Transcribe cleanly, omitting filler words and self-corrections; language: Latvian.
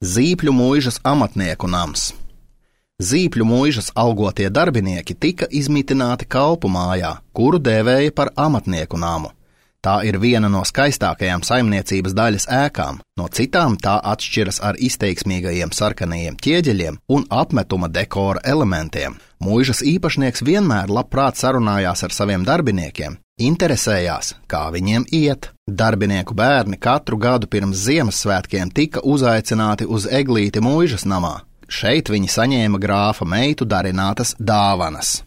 Zīpļu mūžas amatnieku nams. Zīpļu mūžas algotie darbinieki tika izmitināti kalpu mājā, kuru dēvēja par amatnieku namu. Tā ir viena no skaistākajām saimniecības daļas ēkām, no citām tā atšķiras ar izteiksmīgajiem sarkanajiem ķieģeļiem un apmetuma dekora elementiem. Mūžas īpašnieks vienmēr labprāt sarunājās ar saviem darbiniekiem, interesējās, kā viņiem iet. Darbinieku bērni katru gadu pirms Ziemassvētkiem tika uzaicināti uz eglīti mūžas namā. Šeit viņi saņēma grāfa meitu darinātas dāvanas.